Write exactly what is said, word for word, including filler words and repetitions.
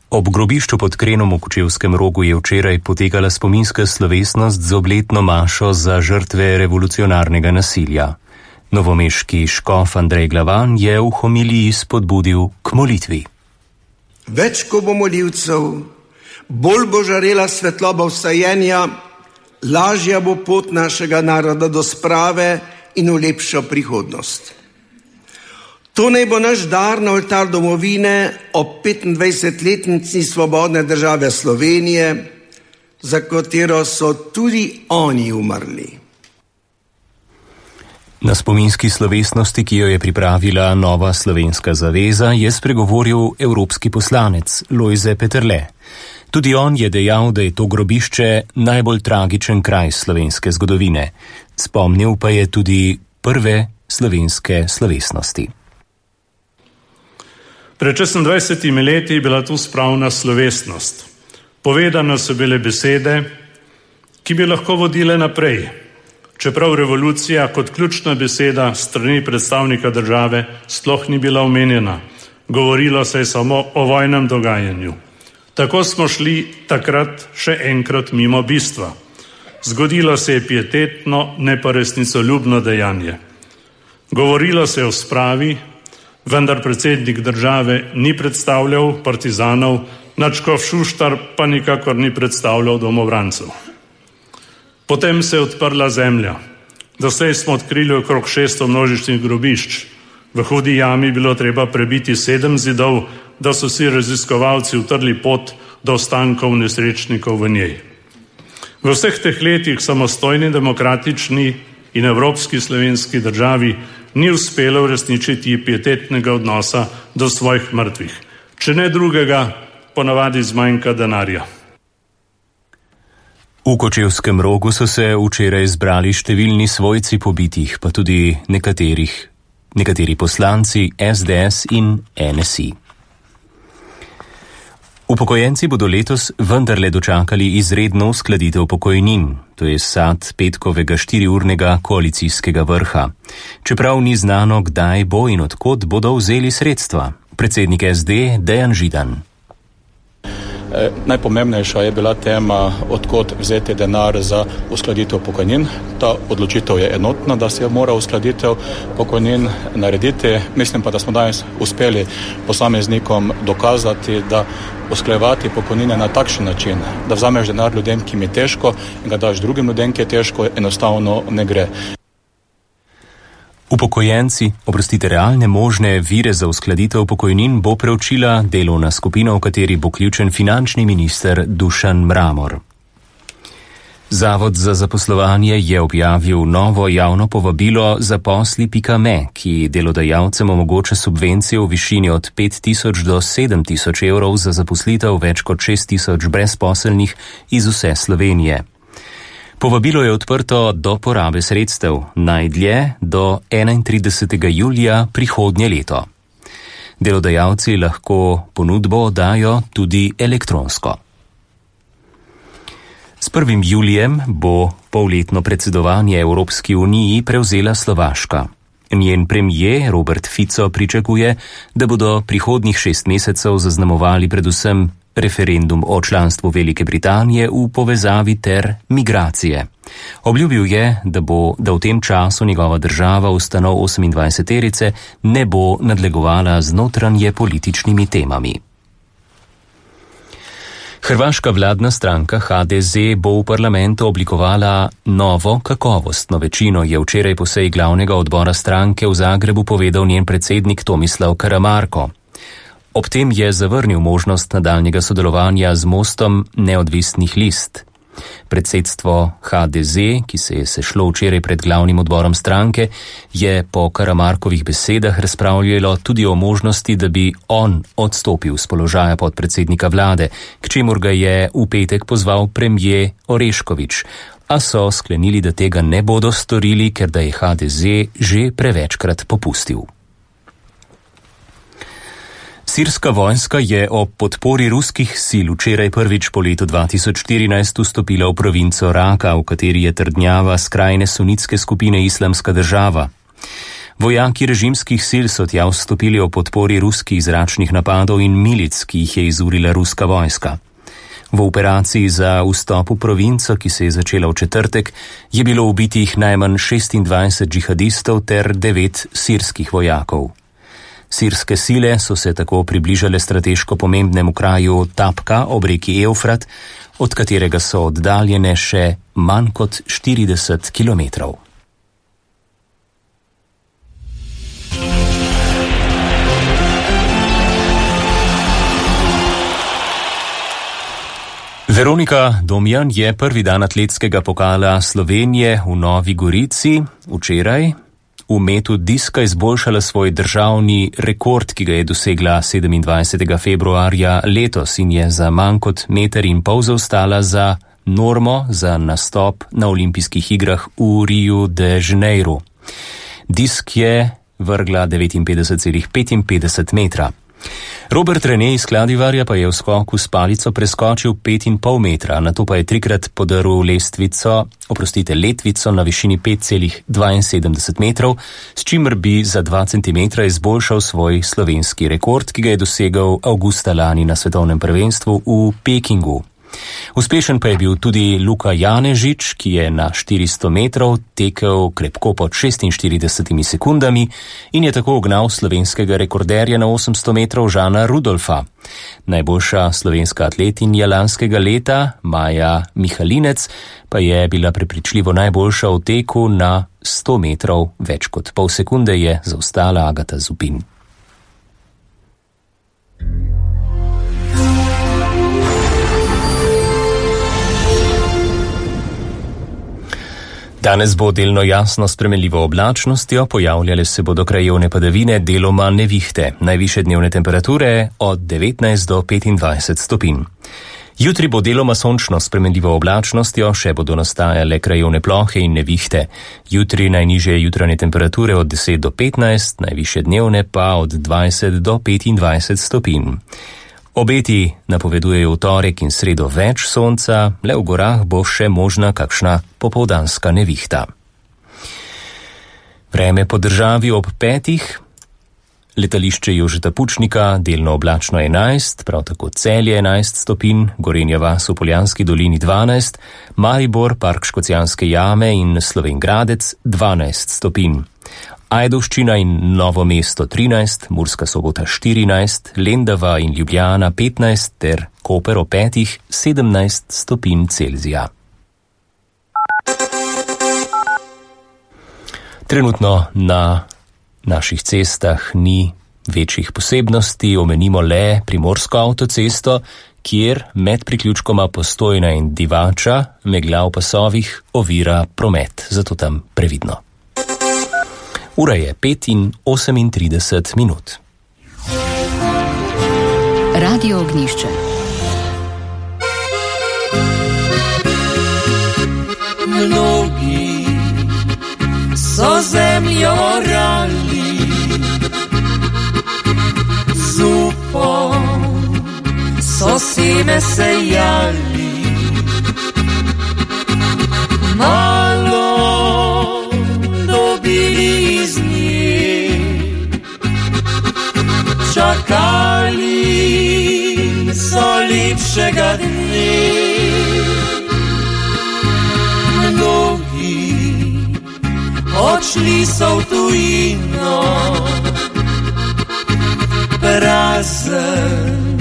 Ob grobišču pod Krenom v Kočevskem Rogu je včeraj potekala spominska slovesnost z obletno mašo za žrtve revolucionarnega nasilja. Novomeški škof Andrej Glavan je v homiliji spodbudil k molitvi. Več ko bo molivcev, bolj bo žarela svetloba vstajenja, lažja bo pot našega naroda do sprave in v lepšo prihodnost. To naj bo naš dar na oltar domovine ob petindvajsetletnici svobodne države Slovenije, za katero so tudi oni umrli. Na spominski slovesnosti, ki jo je pripravila Nova slovenska zaveza, je spregovoril evropski poslanec Lojze Peterle. Tudi on je dejal, da je to grobišče najbolj tragičen kraj slovenske zgodovine. Spomnil pa je tudi prve slovenske slovesnosti. Pred šestindvajsetimi leti je bila tu spravna slovesnost. Povedane so bile besede, ki bi lahko vodile naprej, čeprav revolucija kot ključna beseda strani predstavnika države sploh ni bila omenjena. Govorilo se je samo o vojnem dogajanju. Tako smo šli takrat še enkrat mimo bistva. Zgodilo se je pietetno, ne pa resnicoljubno dejanje. Govorilo se je o spravi, vendar predsednik države ni predstavljal partizanov, nadškof Šuštar pa nikakor ni predstavljal domobrancev. Potem se je odprla zemlja. Doslej smo odkrili okrog šeststo množičnih grobišč. V Hudi jami bilo treba prebiti sedem zidov, da so si raziskovalci utrli pot do ostankov nesrečnikov v njej. V vseh teh letih samostojni, demokratični in evropski slovenski državi ni uspelo uresničiti pietetnega odnosa do svojih mrtvih. Če ne drugega, ponavadi zmanjka denarja. V Kočevskem Rogu so se včeraj zbrali številni svojci pobitih, pa tudi nekaterih, nekateri poslanci es de es in en es i. Upokojenci bodo letos vendarle dočakali izredno uskladitev pokojnin, to je sad petkovega štiriurnega koalicijskega vrha. Čeprav ni znano, kdaj bo in odkot bodo vzeli sredstva. Predsednik es de Dejan Židan. E, najpomembnejša je bila tema, odkot vzeti denar za uskladitev pokojnin. Ta odločitev je enotna, da se mora uskladitev pokojnin narediti. Mislim pa, da smo danes uspeli posameznikom dokazati, da usklajevati pokojnine na takšen način, da vzameš denar ljudem, ki mi je težko, in ga daš drugim ljudem, ki je težko, enostavno ne gre. Upokojenci, oprostite, realne možne vire za uskladitev pokojnin bo preučila delovna skupina, v kateri bo ključen finančni minister Dušan Mramor. Zavod za zaposlovanje je objavil novo javno povabilo zaposli pika me, ki delodajalcem omogoča subvencije v višini od pet tisoč do sedem tisoč evrov za zaposlitev več kot šest tisoč brezposelnih iz vse Slovenije. Povabilo je odprto do porabe sredstev, najdlje do enaintridesetega julija prihodnje leto. Delodajalci lahko ponudbo oddajo tudi elektronsko. S prvim julijem bo polletno predsedovanje Evropski uniji prevzela Slovaška. Njen premijer Robert Fico pričakuje, da bodo prihodnjih šest mesecev zaznamovali predvsem referendum o članstvu Velike Britanije v povezavi ter migracije. Obljubil je, da bo, da v tem času njegova država ustanov osemindvajseterice ne bo nadlegovala z notranje političnimi temami. Hrvaška vladna stranka ha de ze bo v parlamentu oblikovala novo kakovostno večino, je včeraj po seji glavnega odbora stranke v Zagrebu povedal njen predsednik Tomislav Karamarko. Ob tem je zavrnil možnost nadaljnjega sodelovanja z Mostom neodvisnih list. Predsedstvo ha de ze, ki se je sešlo včeraj pred glavnim odborom stranke, je po Karamarkovih besedah razpravljalo tudi o možnosti, da bi on odstopil z položaja podpredsednika vlade, k čemur ga je v petek pozval premijer Orešković, a so sklenili, da tega ne bodo storili, ker da je ha de ze že prevečkrat popustil. Sirska vojska je ob podpori ruskih sil včeraj prvič po letu dva tisoč štirinajst vstopila v provinco Raka, v kateri je trdnjava skrajne sunitske skupine Islamska država. Vojaki režimskih sil so tja vstopili o podpori ruskih zračnih napadov in milic, ki jih je izurila ruska vojska. V operaciji za vstop v provinco, ki se je začela v četrtek, je bilo ubitih najmanj šestindvajset džihadistov ter devet sirskih vojakov. Sirske sile so se tako približale strateško pomembnemu kraju Tapka ob reki Eufrat, od katerega so oddaljene še manj kot štirideset kilometrov. Veronika Domjan je prvi dan atletskega pokala Slovenije v Novi Gorici včeraj v metu diska izboljšala svoj državni rekord, ki ga je dosegla sedemindvajsetega februarja letos in je za manj kot meter in pol zaostala za normo za nastop na olimpijskih igrah v Riu de Janeiro. Disk je vrgla devetinpetdeset celih petinpetdeset metra. Robert Rene iz Kladivarja pa je v skoku s palico preskočil pet in pol metra, nato pa je trikrat podaril lestvico, oprostite, letvico na višini pet celih dvainsedemdeset metrov, s čimer bi za dva centimetra izboljšal svoj slovenski rekord, ki ga je dosegel avgusta lani na svetovnem prvenstvu v Pekingu. Uspešen pa je bil tudi Luka Janežič, ki je na štiristo metrov tekel krepko pod šestinštiridesetimi sekundami in je tako ugnal slovenskega rekorderja na osemsto metrov Žana Rudolfa. Najboljša slovenska atletinja lanskega leta, Maja Mihalinec, pa je bila prepričljivo najboljša v teku na sto metrov, več kot pol sekunde je zaostala Agata Zupin. Danes bo delno jasno s spremenljivo oblačnostjo, pojavljale se bodo krajevne padavine, deloma nevihte, najvišje dnevne temperature od devetnajst do petindvajset stopinj. Jutri bo deloma sončno s spremenljivo oblačnostjo, še bodo nastajale krajevne plohe in nevihte. Jutri najnižje jutranje temperature od deset do petnajst, najvišje dnevne pa od dvajset do petindvajset stopinj. Obeti napovedujejo v torek in sredo več sonca, le v gorah bo še možna kakšna popoldanska nevihta. Vreme po državi ob petih, letališče Jožeta Pučnika, delno oblačno enajst, prav tako Celje enajst stopinj, Gorenja vas v Poljanski dolini dvanajst, Maribor, Park Škocjanske jame in Slovenj Gradec dvanajst stopinj. Ajdovščina in Novo mesto trinajst, Murska Sobota štirinajst, Lendava in Ljubljana petnajst ter Koper ob petih sedemnajst stopinj Celzija. Trenutno na naših cestah ni večjih posebnosti, omenimo le Primorsko avtocesto, kjer med priključkoma Postojna in Divača megla v pasovih ovira promet, zato tam previdno. Ura je pet in osemintrideset minut. Radio Ognjišče. Mnogi so zemljo orali, z upom so seme sejali, malo dobili iz nje, čakali so lepšega dne. Mnogi odšli so v tujino, prazen